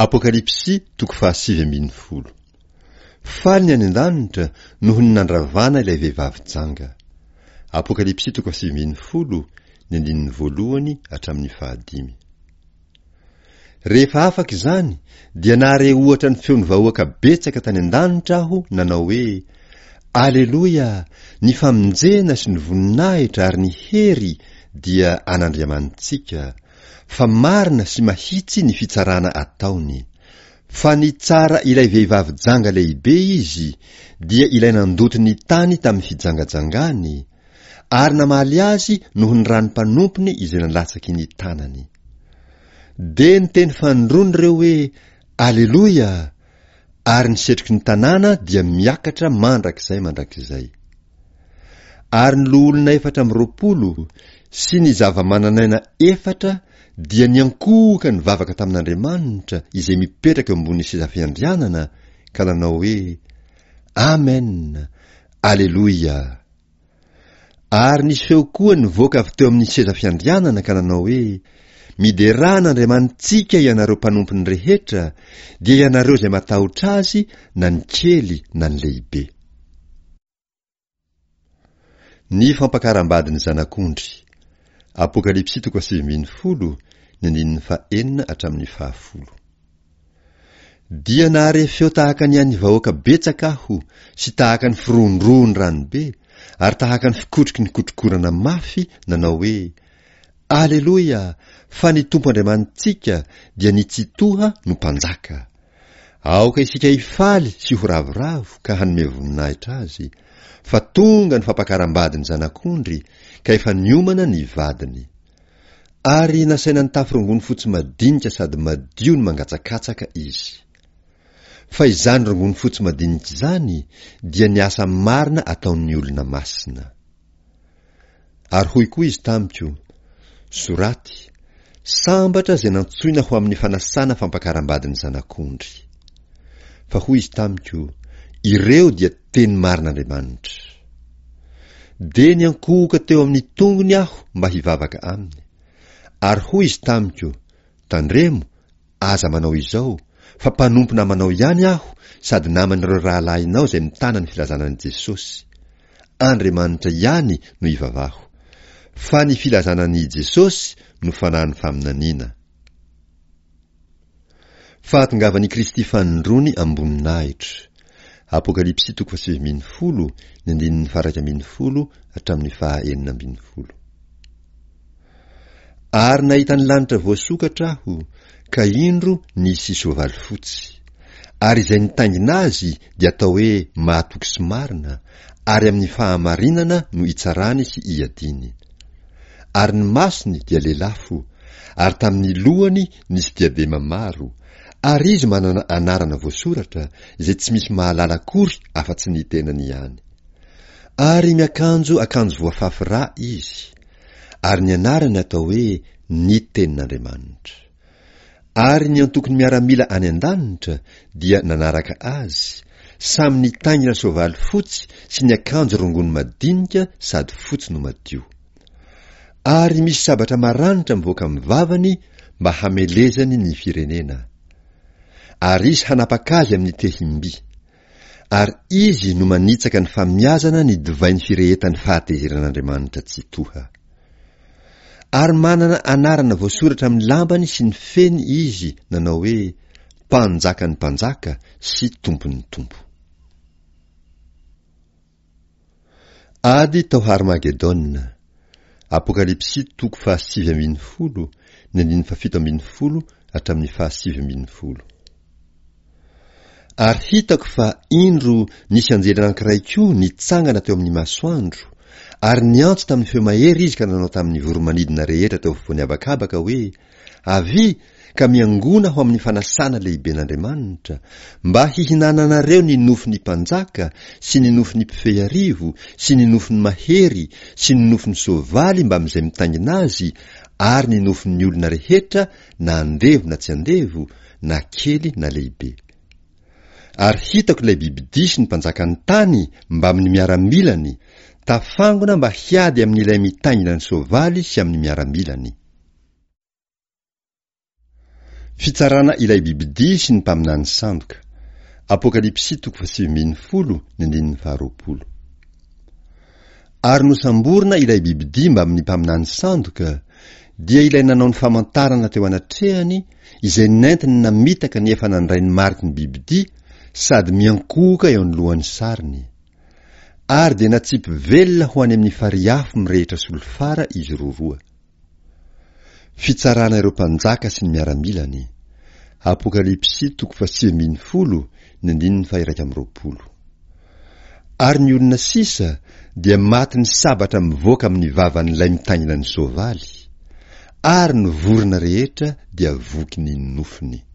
Apokalypsy toko fahasivy ambin'ny folo. Faly ny any an-danitra noho ny nandravana ilay vehivavy janga. Apokalypsy toko fahasivy ambin'ny folo, ny andininy voalohany hatramin'ny fahadimy. Rehefa afaka izany dia nahare ohatra ny feon'ny vahoaka betsaka tany an-danitra aho nanao hoe, Aleloia! Ny famonjena sy ny voninahitra ary ny hery dia an'Andriamanitsika, fa marina sy mahitsy ny fitsarana ataony. Fa nitsara ilay vehivavy janga lehibe izy, dia ilay nandoto ny tany tamin'ny fijangajangany, ary namaly azy noho ny ran'ny mpanompony izay nalatsaky ny tanany. Dia niteny fanindroany ireo hoe, Aleloia! Ary ny setroky ny tanàna dia miakatra mandrakizay mandrakizay. Ary ny loholona 24 sy ny zava-manan'aina efatra dia niankohoka nivavaka tamin'Andriamanitra izay mipetraka eo ambonin'ny seza fiandrianana ka nanao hoe, Amen! Aleloia! Ary nisy feo koa nivoaka avy teo amin'ny seza fiandrianana ka nanao hoe, Miderà an'Andriamanitsika ianareo mpanompony rehetra, dia ianareo izay matahotra Azy na ny kely na ny lehibe. Ny fampakaram-badin'ny Zanak'ondry. Apokalypsy toko fahasivy ambin'ny folo, ny andininy fahenina hatramin'ny fahafolo. Dia nahare feo tahaka ny an'ny vahoaka betsaka aho, sy tahaka ny firohondrohon'ny ranobe, ary tahaka ny fikotroky ny kotrokorana mafy, nanao hoe, Aleloia! Fa ny Tompo Andriamanitsika, dia ny Tsitoha no Mpanjaka. Aoka isika hifaly sy ho ravoravo ka hanome voninahitra Azy, fa tonga ny fampakaram-badin'ny Zanak'ondry, ka efa niomana ny vadiny. Ary nasaina nitafy rongony fotsy madinika sady madio ny mangatsakatsaka izy. Fa izany rongony fotsy madinika izany dia ny asa marina ataon'ny olona masina. Ary hoy koa izy tamiko, Soraty, Sambatra izay nantsoina ho amin'ny fanasana fampakaram-badin'ny Zanak'ondry. Fa hoy izy tamiko, Ireo dia teny marin'Andriamanitra. Dia niankohoka teo amin'ny tongony aho mba hivavaka aminy. Ary hoy izy tamiko, Tandremo, aza manao izao, fa mpanompo namanao ihany aho sady naman'ireo rahalahinao izay mitana ny filazana an'i Jesosy. Andriamanitra ihany no ivavaho. Fa ny filazana an'i Jesosy no fanahin'ny faminaniana. Fahatongavan'i Kristy fanindroany am-boninahitra. Apokalypsy toko fahasivy ambin'ny folo, ny andininy faha-iraika ambin'ny folo hatramin'ny faha-enina ambin'ny folo. Ary nahita ny lanitra voasokatra aho, ka indro nisy soavaly fotsy. Ary izay nitaingina azy dia atao hoe mahatoky sy marina, ary amin'ny fahamarinana no itsarany sy iadiany. Ary ny masony dia lelafo, ary tamin'ny lohany nisy diadema maro, ary izy manana anarana voasoratra izay tsy misy mahalala akory afa-tsy ny tenany ihany. Ary miakanjo akanjo voafafy rà izy, ary ny anarany atao hoe Ny Tenin'Andriamanitra. Ary ny antokon'ny miaramila any an-danitra dia nanaraka azy, samy nitaingina soavaly fotsy sy niakanjo rongony madinika sady fotsy no madio. Ary misy sabatra maranitra mivoaka amin'ny vavany mba hamelezany ny firenena. Ary izy hanapaka azy amin'ny tehim-by. Ary izy no manitsaka ny famiazana ny divain'ny firehetan'ny fahatezeran'Andriamanitra Tsitoha. Ary manana anarana voasoratra amin'ny lambany sy ny feny izy nanao hoe, Mpanjakan'ny mpanjaka sy Tompon'ny tompo. Ady tao Harmagedona. Apokalypsy toko fahasivy ambin'ny folo, ny andininy fahafito ambin'ny folo hatramin'ny fahasivy ambin'ny folo. Ary hitako fa, indro, nisy anjely anankiray koa nitsangana teo amin'ny masoandro, ary niantso tamin'ny feo mahery izy ka nanao tamin'ny voro-manidina rehetra teo afovoan'ny habakabaka hoe, Avia, ka miangona ho amin'ny fanasana lehiben'Andriamanitra, mba hihinananareo ny nofon'ny mpanjaka, sy ny nofon'ny mpifehy arivo, sy ny nofon'ny mahery, sy ny nofon'ny soavaly mbamin'izay mitaingina azy, ary ny nofon'ny olona rehetra, na andevo na tsy andevo, na kely na lehibe. Ary hitako ilay bibidia sy ny mpanjakan'ny tany mbamin'ny miaramilany, tafangona mba hiady amin'ilay mitaingina ny soavaly sy amin'ny miaramilany. Fitsarana ilay bibidia sy ny mpaminany sandoka. Apokalypsy toko fahasivy ambin'ny folo ny andininy faharoapolo. Ary nosamborina ilay bibidia mbamin'ny mpaminany sandoka, dia ilay nanao ny famantarana teo anatrehany, izay nentiny namitaka ny efa nandray ny mariky ny bibidia sady miankohoka eo anoloan'ny sariny. Ary dia natsipy velona ho any amin'ny farihy afo mirehitra solifara izy roroa. Fitsarana ireo mpanjaka sy ny miaramilany. Apokalypsy toko fahasivy ambin'ny folo ny andininy faha-21. Ary ny olona sisa dia matin'ny sabatra mivoaka amin'ny vavan'ilay mitaingina ny soavaly, ary ny vorona rehetra dia voky ny nofony.